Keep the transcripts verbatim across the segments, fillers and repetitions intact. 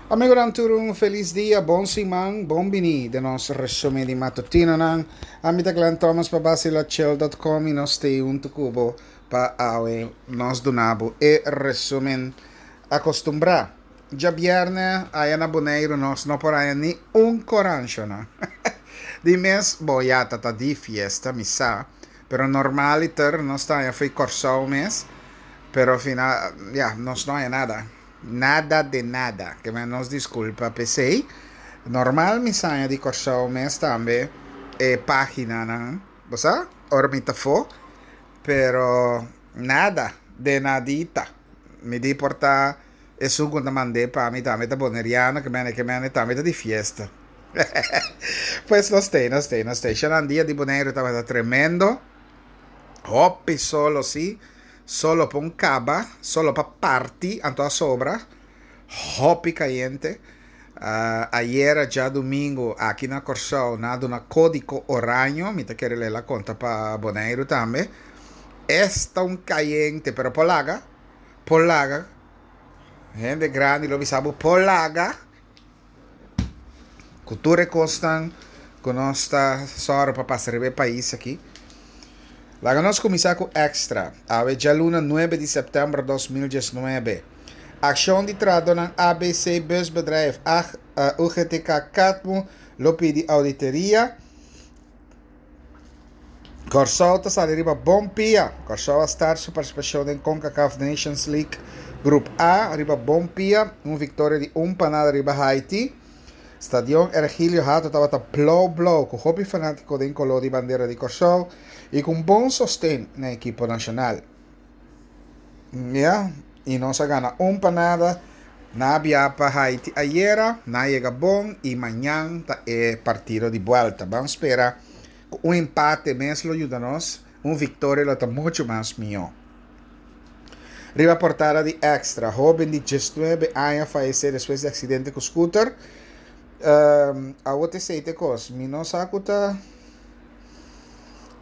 Amigonan tur un felis dia, bon siman, bon bini den nos resumen di matutinonan. Ami ta Glenn Thomas pa Bacilachill dot com y nos t'ey hunto cu bo pa awe nos duna bo e resumen acostumbra. Djabierne aya na Boneiru nos no por haya ni un corancho, no. Di mes, bo ya ta ta di fiesta, mi sa, pero normaliter nos ta haya fo'i Corsou mes, pero final, ya, nos no haya nada. Nada de nada. Ke men nos disculpa p'esey. Normal mi sa haña di Corsou mes tambe e paginanan, bo sa, ora mi ta afó, pero nada de nadita. Mi di por ta esun ku ta mand'é pa mi tambe ta boneriano, ke men ke men tambe ta di fiesta. Pues nos t'ei, nos t'ei, nos t'ei. Shanan dia di Boneiru tabata tremendo. Hopi solo sí, solo pa un kaba, solo pa parti, anto a sobra. Hopi kayente. Ayera djadumingu aki na Kòrsou nan a duna kódiko oraño, mi ta kere lei la konta pa Boneiru tambe. Esta un kayente, pero por laga, por laga. Hende grandi lo bisa bo por laga. Ku tur e kosnan ku nos ta sòru pa pasa riba e pais aki. Laga nos kuminsá ku Extra. Awe djaluna nuebe di sèptèmber dos mil diesnuebe. Akshon di trahadónan A B C Busbedrijf, U G T K Katmu lo pidi auditoria. Kòrsou ta sali riba bon pia. Kòrsou a start su partisipashon den CONCACAF Nations League Grup A riba bon pia, un viktoria di un pa nada riba Haiti. Stadion Ergilio Hato tabata blou blou ku hopi fanátiko den koló di bandera di Kòrsou i ku un bon sosten na ekipo nashonal. Ya, i nos a gana un pa nada. Nan a bia pa Haiti ayera, nan a yega bon i mañan ta e partido di buelta. Ban spera ku un empate mes lo yuda nos, un viktoria lo ta muchu mas mihó. Riba portada di Extra, hóben di diesnuebe aña fayesé despues di aksidente ku scooter. Um, awor esei ta e kos, mi no sa ku ta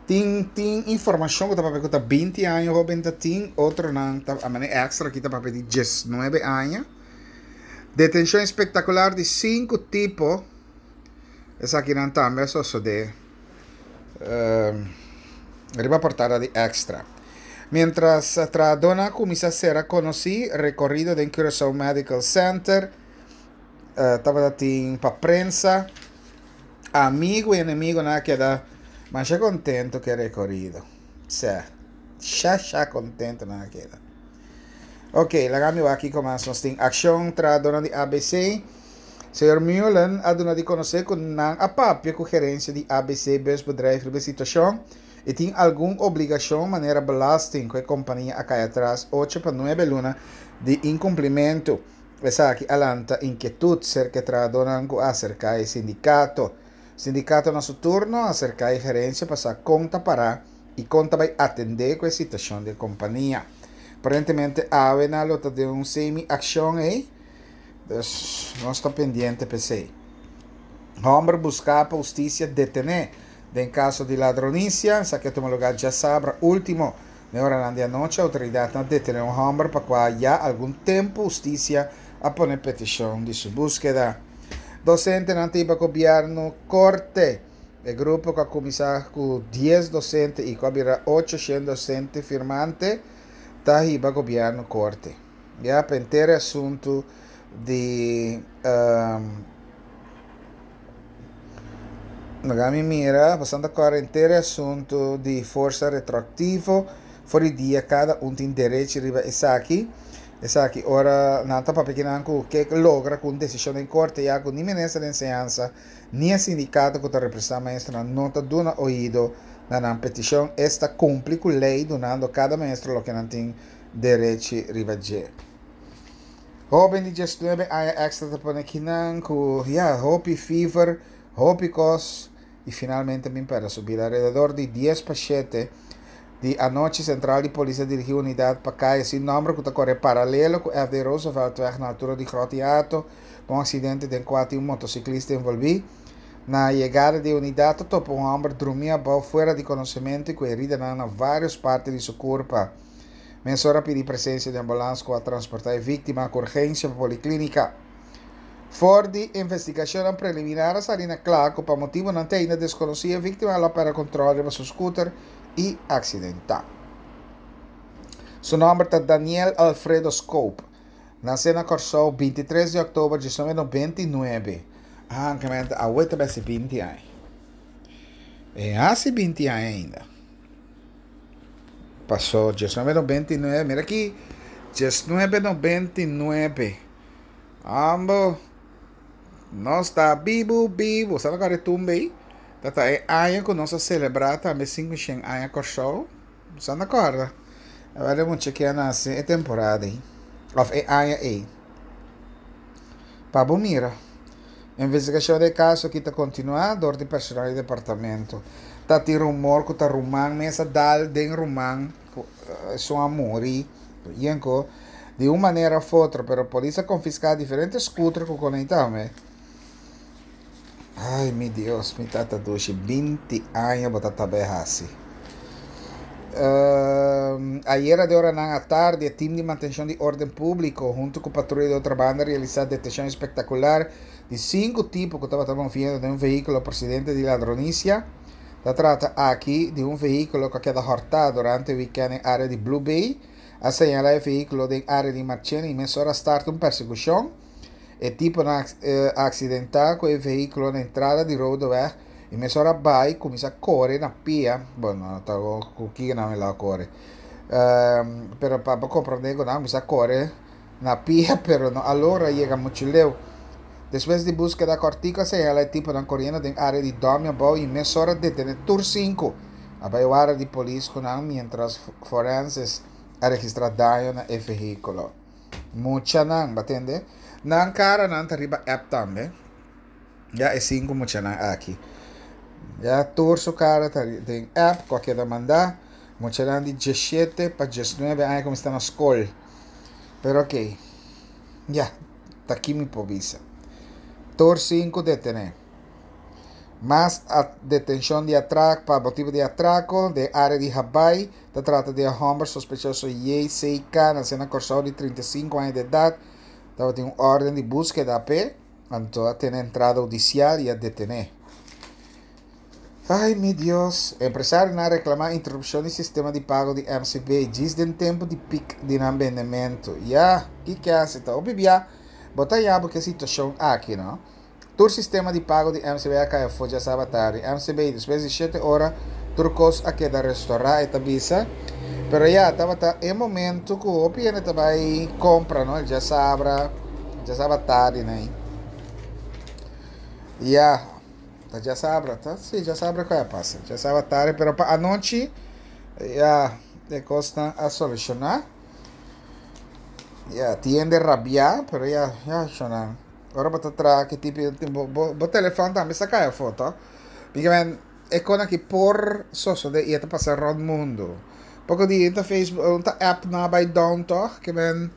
tin tin informashon ku ta papia ku ta binti aña hóben ta tin, otronan ta a manera Extra aki ta papia di diesnuebe aña. Detenshon espektakular di sinku tipo, esakinan tambe a sosodé um, riba portada di Extra. Mientras trahadónan a kuminsá sera konosí, rekorido den Curaçao Medical Center uh, tabata tin pa prensa, amigu i enemigunan a keda masha kontentu ku e rekorido. Sè, sha sha kontentu nan a keda. Ok, laga mi wak kiko mas nos tin. Akshon trahadónan di A B C. Señor Mullen a duna di konosé ku nan a papia ku gerensia di A B C Busbedrijf riba e situashon i tin algun obligashon manera belasting ku e kompania a kai atras ocho pa nuebe luna di inkumplimentu. Esaki a lanta inkietut serka e trahadónan ku a aserká e sindikato. Sindikato na su turno a aserká e gerensia pa sa kon ta pará i kon ta bai atendé ku e situashon di e kompania. Aparentemente awe nan lo ta den un semi akshon ei, dus nos ta pendiente p'esei. Hòmber buská pa hustisia detené den kaso di ladronisia. Esaki a tuma lugá djasabra último. Den oranan di anochi outoridatnan a detené un hòmber pa kua ya algun tempu hustisia a pone petishon di su búskeda. Dosentenan ta hiba gobièrnu korte. E grupo ku a kuminsá ku dies dosente i ku a bira ocho shen dosente firmante ta hiba gobièrnu korte. Ya pa henter e asuntu di um, laga mi mira, pasando kòrda henter e asuntu di forsa retroaktivo, for di dia kada un tin derecho riba esaki. Esaki ora nan ta papia kinan ku ke logra ku un desishon den korte ya ku ni minister di enseñansa ni e sindikato ku ta representá maestronan no ta duna oido na nan petishon, esta kumpli ku lei dunando kada maestro loke nan tin derechi riba dje. Hóben di diesnuebe aña Extra ta pone kinan ku ya hopi fever, hopi kos i finalmente bin pèrdè su bida. Alrededor di dies pa shete di anochi sentral di polis a dirigí unidat pa kaya sin nòmber ku ta kore paralelo ku F D Rooseveltweg na altura di Grot Hato pa un aksidente den kua tin un motosiklista envolví. Na yegada di e unidat ta topa un hòmber drumí abou fuera di konosementu i ku heridanan na vários parti di su kurpa. Mesora a pidi presensia di ambulans ku a transportá e víktima ku urgensia pa poliklínika. For di investigashon preliminar a sali na kla ku pa motibunan te ainda deskonosí e víktima a pèrdè kontròl riba su skuter i aksidentá. Su nòmber ta Daniel Alfredo Scope. Nasé na Kòrsou bintitres di òktober di mil noveshent nobenta i nuebe. Ah, ke awe ta hasi binti aña. E hasi binti aña ainda. Pasó diesnuebe nobenta i nuebe, mira aki, diesnuebe nobenta i nuebe. Ambo, nos ta bibu, bibu. Sabe kua tumba ei? Ta e aña ku nos a selebrá tambe sinkushen aña Kòrsou. Sabe kòrda? Awor mucha ku a nase e temporada ei. Òf e aña ei. Pa bo mira. Investigashon di kaso aki ta kontinuá dor di personal di departamento. Ta tin rumor ku ta ruman mes a dal den ruman esun a muri. Yenko di un manera òf otro, pero polis a konfiská diferente skuter ku konektá. Ai, mi Dios, mi tata dushi, binti aña bo ta bai hasi. Uh, ayera den oranan atardi, e tim di mantenshon di órden públiko, huntu ku patruya di Otrabanda, a realisá detenshon espektakular di sinku tipo ku tabata moviendo den un vehíkulo prosedente di ladronisia. Ta trata aki di un vehíkulo ku a keda hòrtá durante e wikènt den área di Blue Bay. A señalá e vehíkulo den área di Marchena i mesora a start un persekushon. E tiponan a aksidentá ku e vehíkulo na entrada di Rodeweg i mesora bai kuminsá kore na pia. Bueno, ta ku kiko nan a kore. Um, pero pa komprondé ku nan kuminsá kore na pia, pero no a logra yega muchu leu. Despues di búskeda kòrtiku a señalá e tiponan koriendo den área di Dòmi Abou i mesora a detené tur sinku. A bai warda di polis ku nan mientras forenses a registrá daño na e vehíkulo. Muchanan, bo a tende? Nan karanan ta riba app tambe. Ya e sinku muchanan aki. Ya tur su kara ta den app, ku a manda. Muchanan di diesshete pa diesnuebe aña ku ta na skol. Pero ok. Ya, ta aki mi por bisa. Tur sinku detené. Mas detenshon di atrako, pa motibu di atrako, den área di Habai, ta trata di hòmber sospechoso J C K, nasé na Kòrsou, di trinta i sinku aña di edat, tabatin un órden di búskeda p'e, anto a tene entrada hudisial i a detené. Ai, mi Dios. Empresarionan a reklamá interupshon di sistema di pago di M C B. Djis den tempu di pik di nan bendementu. Ya, kiko hasi? Ta obibia, bo ta ya ku e situashon aki, no? Tur sistema di pago di M C B a kai afó djasabra atardi. M C B despues di shete ora, tur kos a keda restourá, e ta bisa. Pero ya, tabata e momento ku hopi hende ta bai kompra, no? Djasabra, djasabra atardi, no? Ya, ta djasabra, ta? Si, djasabra ku a pasa. Djasabra atardi, pero pa anochi, ya, e kos a solushoná. Ya, tin hende rabiá, pero ya, ya, shona. Ora bo ta traha ku tipo, bo, bo, bo telefòn tambe sa kai afó. Porque men, e kos aki por sosodé i ta pasa rònt mundu. Poko dia ta Facebook, ta app nan a bai down, toch? Ke men,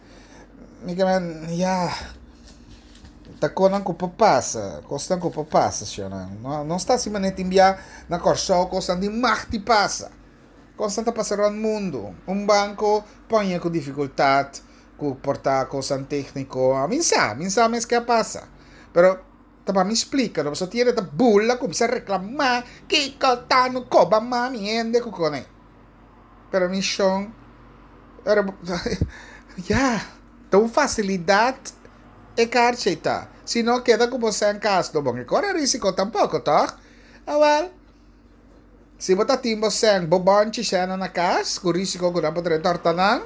ke men, ya, ta kosnan ku por pasa, kosnan ku por pasa, shona. No, no ta asina net enviá na Kòrsou, kosnan di mag di pasa. Kosnan ta pasa rònt mundu. Un banko pone ku difikultat, ku por ta kosnan tékniko. Mi sa, mi sa mes kiko a pasa. Pero ta pa mi splika, no tin ta bula, kuminsá reklamá, kiko ta no koba mami hende ku kone. Pero mi shon, pero ya, ta un fasilidat e karchi ta. Si no keda ku bo na kas, no bon, e kore rísiko tampoko, toch? Ah, wel. Si bo tin bo sèn, bo bonchi sèn na kas, ku rísiko ku nan por hòrta nan,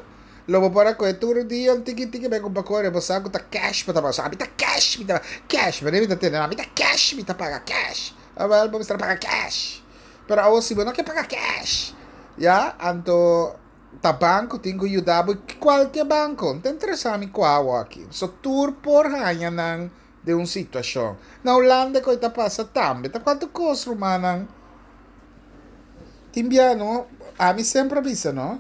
lo bo por a tur dia un tiki tiki bai kumpra kore, bo sa ku ta cash, bo ta paga, mi ta cash, mi ta cash, mi ta tende, mi ta cash, mi ta paga cash. Ah, wel, bo ta paga cash. Pero awor si bo no ke paga cash, ya, anto ta banko tin ku yuda kualke banko, no ta interesá mi kua aki. So tur por haña nan den un situashon. Na Hulanda ku ta pasa tambe, ta kuantu kos, rumannan. Tin bia, no? Ami semper a bisa, no?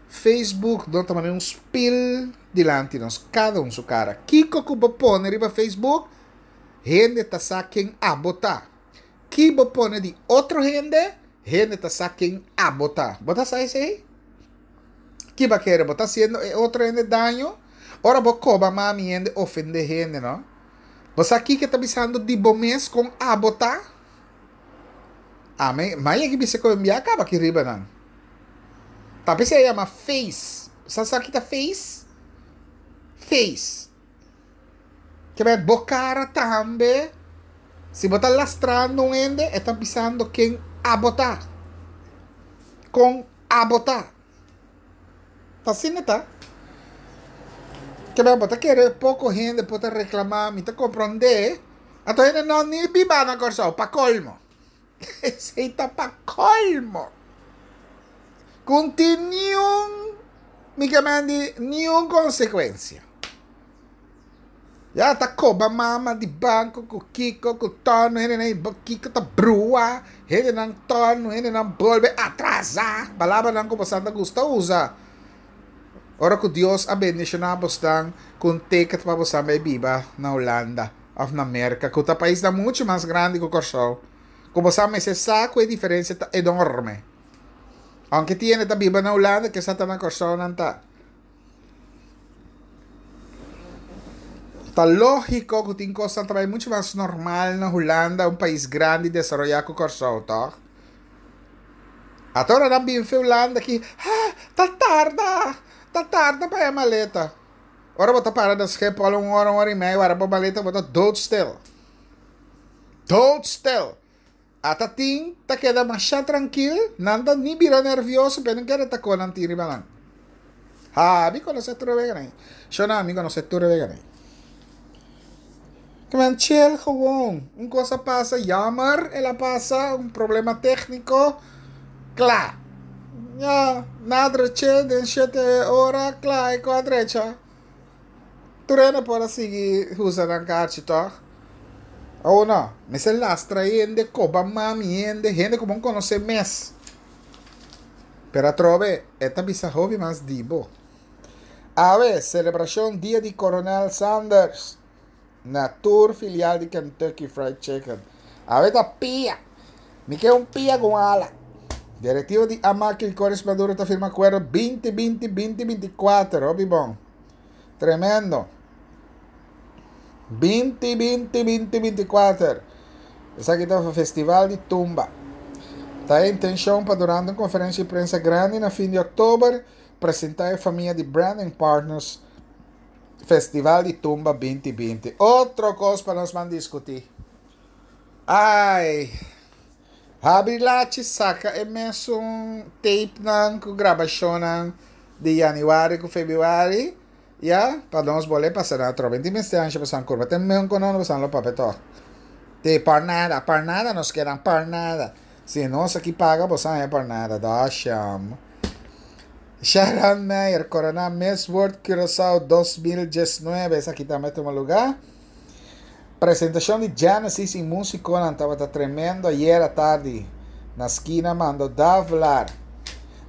Facebook no ta un spil dilanti nos, kada un su kara. Kiko ku bo pone riba Facebook, hende ta sa ken abo ta. Ki bo pone di otro hende, hende ta sa ken abo ta. Bo ta sa esei? Ki bo ke bo ta hasiendo e otro hende daño? Ora bo koba mami hende, ofendé hende, no? Bo sa kiko ta bisando di bo mes kon abo ta? Ami, m'a yega bisa ku mi a kaba aki riba nan. Ta p'esei e yama face. Sa sa ki ta face? Face. Ke men bo kara tambe, si bo ta lastrando un hende, e ta bisando ken abo ta. Kon abo ta. Ta asina ta. Ke men bo ta kere poko hende por ta reklamá, mi ta komprondé, anto hende no ni biba na Kòrsou, pa kolmo. Esei ta pa kolmo. Ku no tin niun, mi ke men di, niun konsekuensia. Ya ta koba mama di banko ku kiko ku tono hendenan kiko ta brua hendenan tono hendenan bolbe atrasá palabranan ku boso ta gusta usa ora ku Dios a bendishoná bosnan ku un ticket pa boso bai biba na Hulanda òf na Merka ku ta paisnan muchu mas grandi ku Kòrsou ku boso mester sa ku e diferensia ta enorme aunke tin hende ta biba na Hulanda kisas ta na Kòrsou nan ta. Ta lógiko ku tin kosnan ta bai muchu mas normal na Hulanda, un pais grandi desaroyá ku Kòrsou, tòg? Ata ora nan bin fe Hulanda aki, ha, ta tarda, ta tarda pa e maleta. Ora bo ta para na Schiphol un ora, un ora i mei, wara bo maleta, bo ta doodstil. Doodstil. Ata tin ta keda masha trankil, nan ta ni bira nervioso, pero nan keda ta kon nan tin riba nan. Ha, mi konosé tur e weganan ei. Shona, mi konosé tur e weganan ei. Kimen chill gewoon. Un kos a pasa, jammer, el a pasa, un problema tékniko, kla. Ya, na dreché den shete ora, kla, e kos a drecha. Tur hende por a sigui usa nan karchi tòg? Awo no, mester lastra hende, koba mami hende, hende ku bo konosé mes. Pero atrobe e ta bisa hopi mas di bo. Awe, selebrashon Dia di Coronel Sanders na tur filial di Kentucky Fried Chicken. Awe ta pia! Mi ke un pia ku un ala. Direktiva di Amak i Coris Maduro ta firma akuerdo binti binti binti binti kuater. Hopi bon. Tremendo. Binti binti binti binti kuater. Esaki ta Festival di Tumba. Ta e intencion pa durante un conferencia di prensa grandi na fin di october presenta e famia di Branding Partners Festival di Tumba binti binti. Otro cos pa nos man discuti. Ai. Habri lachi saca e mesun tape nan cu grabacionnan di januari cu februari. Ya, pa nos bole pasa na atrobe. Inti mester ansha pasan kurba. Ten meun ku nono pasan lo papia tòg. Te par nada, par nada nos kedan, par nada. Si nos aki paga boso haña par nada. Dasham. Sharon Meyer koroná Miss World Curaçao dos mil diesnuebe. Esaki tambe a tuma lugá. Presentashon di Genesis i músikonan tabata tremendo ayera tardi na skina Mando Davelaar.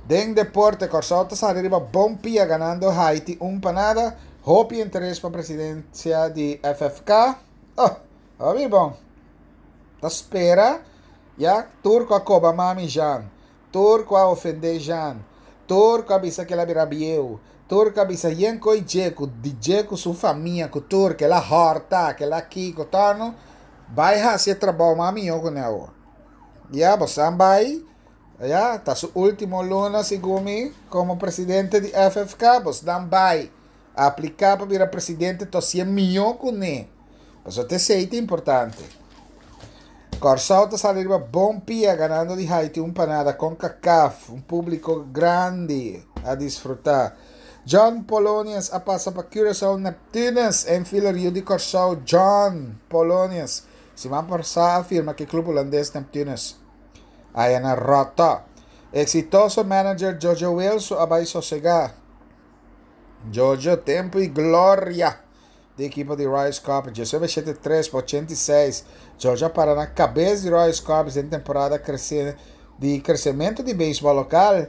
Den deporte, Kòrsou ta sali riba bon pia ganando Haiti un pa nada. Hopi interes pa presidensia di F F K. Oh, hopi bon. Ta spera ya tur ku a koba mami Jean, tur ku a ofende Jean, tur ku a bisa ku el a bira bieu, tur ku a bisa yen koi dje ku di dje ku su famia ku tur ku el a hòrta, ku el a kiko torno, bai hasi e trabou mas mihó ku ne awor. Ya, bosan bai. Ya, ta su último luna segun mi komo presidente di F F K, bosnan bai apliká pa bira presidente to hasié mihó kuné. Pasobra ta esei ta importante. Kòrsou ta sali riba bon pia ganando di Haiti un pa nada Concacaf, un públiko grandi a disfrutá. John Polonius a pasa pa Curaçao Neptunus, infielder yu di Kòrsou John Polonius siman pasá a firma ku e klup hulandes Neptunus. Aya na ròtò. Eksitoso manager Jojo Wilson a bai sosegá. Jojo, tempu i gloria di ekipo di Royal Scorpions. Diesnuebe shete tres pa ochenta i seis, Jojo a para na kabes di Royal Scorpions den temporada di kresementu di beisbòl lokal.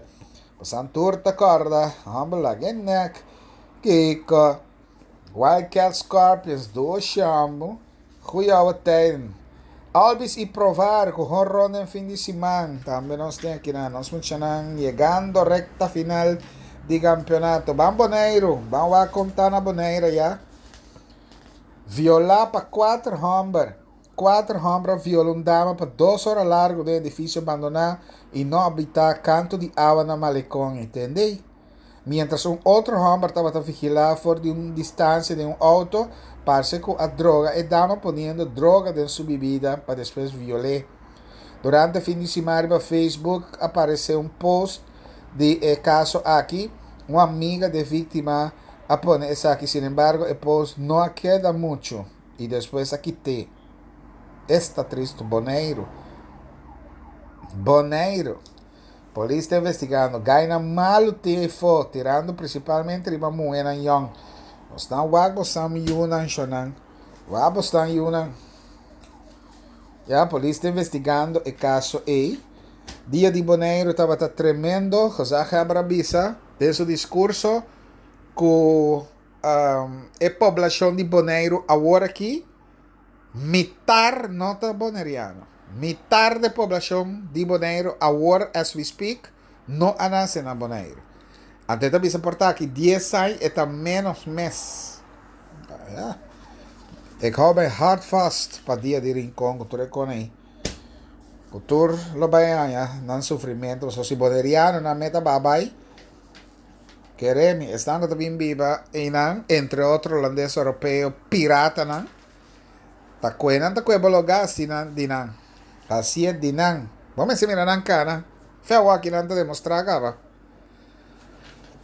Pasan tur ta kòrda, hòmber laga e nèk. Kiko? Wildcats Scorpions, dos shambu. Goeie ouwe tijden. Albies i Provar ku honron den fin di siman. Tambe nos tin akinan nos muchanan yegando rekta final di kampionato. Ban Boneiru, ban wak kon ta na Bonaire ya. Violá pa kuater hòmber. Kuater hòmber a viola un dama pa dos ora largu den edifisio bandoná i no habitá kantu di awa na Malecon, entendé? Mientras un otro hòmber tabata vigilá for di un distansia den un outo, parse ku a droga e dama poniendo droga den su bibida pa despues viol'é. Durante fin di siman riba Facebook a aparesé un post di e kaso aki. Un amiga di e víktima a pone esaki, sinembargo e post no a keda muchu i despues a kit'é. Esta tristu. Boneiru. Boneiru. Polis ta investigando. Gainan malu tin efo, tirando prinsipalmente riba muhénan yòn. Bosnan wak bosan yunan shonan. Wak bosnan yunan. Ya, polis ta investigando e kaso ei. Dia di Boneiru tabata tremendo, Gezaghebber a bisa den su diskurso ku um, e poblashon di Boneiru awor aki mitar no ta boneriano. Mitar di poblashon di Boneiru awor, as we speak, no a nase na Boneiru. Anto ta bisa por ta aki dies aña e ta ménos mes. Ja. Ik hou mijn hart vast pa dia di Rincon ku tur e kos ei. Ku tur lo bai haña nan sufrimentu. So si boneriano nan meta babai. Kere mi, esnan ku ta bin biba einan, entre otro hulandes europeo piratanan. Ta kue nan ta kue bologa si nan di nan. Hasié di nan. Bo mester mira nan kana. Fe awor aki nan ta demostrá kaba.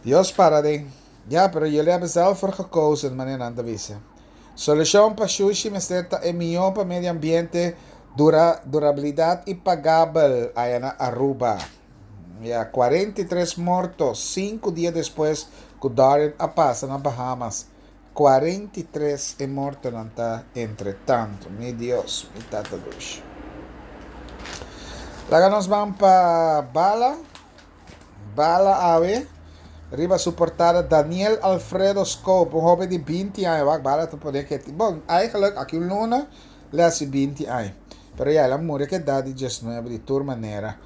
Dios para den. Ja, pero jullie hebben zelf voor gekozen, manera nan ta bisa. Solushon pa shushi mester ta e mihó pa medio ambiente, dura, durabilidat i pagabel aya na Aruba. Ja, kuarenta i tres morto, sinku dia despues ku Dorian a pasa na Bahamas. Kuarenta i tres e mortonan ta entre tanto. Mi Dios, mi Tata Dushi. Laga nos ban pa Bala. Bala awe. Riba su portada Daniel Alfredo Scope, un hoben di binti aña. Wak, Bala ta pone ku, bon, eigenlijk aki un luna el a hasi binti aña. Pero ya, el a muri ku edat di diesnuebe di tur manera.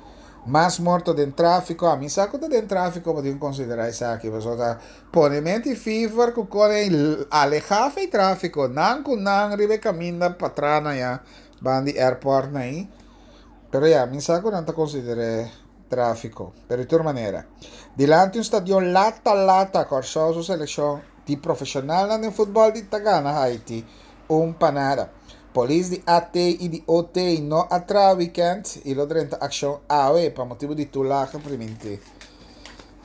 Mas morto den tráfiko. Ami sa ku ta den tráfiko, bo tin ku konsiderá esaki. Pasobra ta pone menti fever ku kore alehá fei tráfiko. Nan ku nan riba e kaminda pa tra na ya ban di airport na ei. Pero ya, mi sa ku nan ta konsider'é tráfiko. Pero di tur manera. Dilanti un stadion lata lata, Kòrsou su selekshon di profeshonalnan den futbòl di ta gana Haiti un pa nada. Polis di A T i di O T no a traha wikènt i lo drenta akshon awe pa motibu di toelage primintí.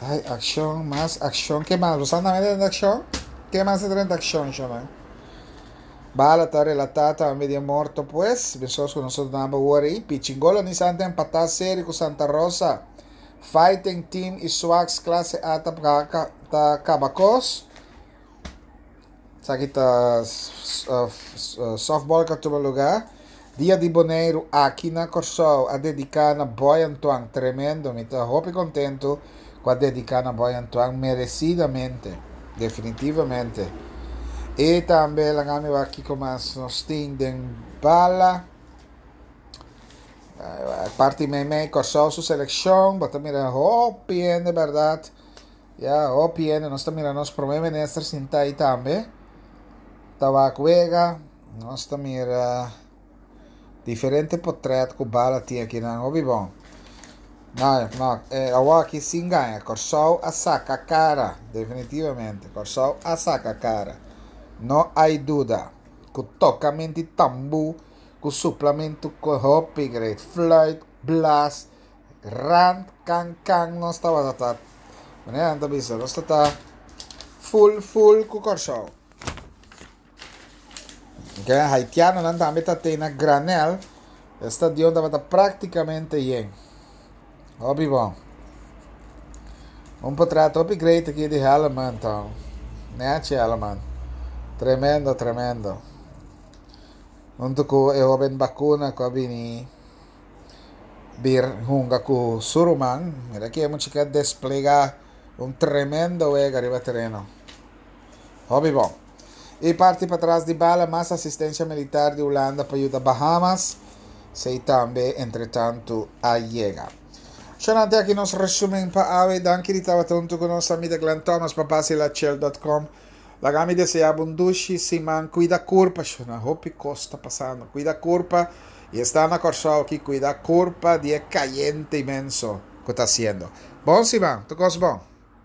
Ai, akshon, mas akshon. Ke mas? Bo sa tambe drenta akshon? Ke mas ta drenta akshon, showman? Bala ta relatá tambe di e morto pues. Besos ku nos a duna bo awor ei. Pichingolo Nissan ta empatá seri ku Santa Rosa. Fighting Team i Swax Klase A ta ta kaba kos. Esaki ta softball ku a tuma lugá. Dia di Boneiru aki na Kòrsou a dediká na Boy Antoine. Tremendo, mi ta hopi kontentu ku a dediká na Boy Antoine meresidamente, definitivamente. I tambe laga mi wak kiko mas nos tin den Bala. Parti meimei Kòrsou su selekshon, bo ta mira hopi hende bèrdat. Ya, hopi hende. Nos ta mira nos promé minister sintá ei tambe. Ta wak wega. Nos ta mira diferente potrèt ku Bala tin akinan. Hopi bon. No, no, eh, awor aki sin gaña. Kòrsou a saka kara. Definitivamente. Kòrsou a saka kara. No hay duda. Ku tokamentu di tambú, ku suplamentu ku hopi great. Fluit, blaas, rand, kan, kan. Nos tabata ta. Manera nan ta bisa, nos ta ta full, full ku Kòrsou. Ok, haitianonan tambe ta te na granel. E stadion tabata práktikamente yen. Hopi bon. Un portret hopi great aki di Helleman to. Nechi Helleman. Tremendo, tremendo. Huntu ku e hoben Bakuna ku a bini bir hunga ku su ruman. Mira aki e mucha a desplegá un tremendo wega riba tereno. Hopi bon. I parti patras di Bala, mas asistensia militar di Hulanda pa yuda Bahamas. Esei tambe, entretantu, a yega. Shonante aki nos resumen pa awe. Danki di tabata huntu ku nos. Ami ta Glenn Thomas pa basilachel punto com. Laga mi deseá un dushi siman. Kuida kurpa, na hopi kos ta pasando. Kuida kurpa i esta na Kòrsou aki, kuida kurpa di e kayente inmenso ku ta hasiendo. Bon siman, tur kos bon.